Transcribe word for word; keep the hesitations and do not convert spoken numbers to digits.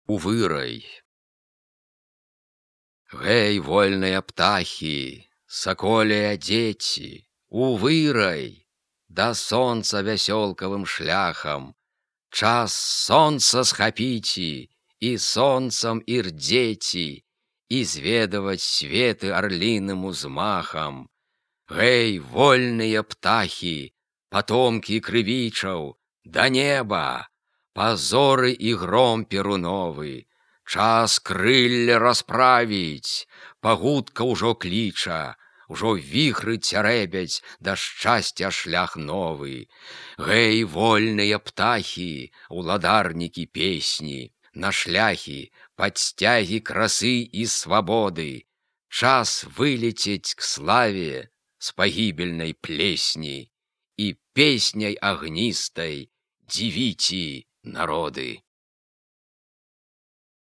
Увырай. Гэй, вольныя птахі, саколія дзеці, увырай, да сонца вясёлкавым шляхам, час сонца схапіці і сонцам ірдзеці, і зведаваць светы арліным узмахам. Гэй, вольныя птахі, патомкі крывічаў, да неба, пазоры і гром перуновы, час крылля расправіць, пагудка ўжо кліча, ужо віхры цярэбяць, да шчасця шлях новы. Гэй, вольныя птахі, уладарнікі песні, на шляхі, падсцягі красы і свабоды, час вылецець к славе з пагібельнай плесні і песняй агністай дзівіці народы.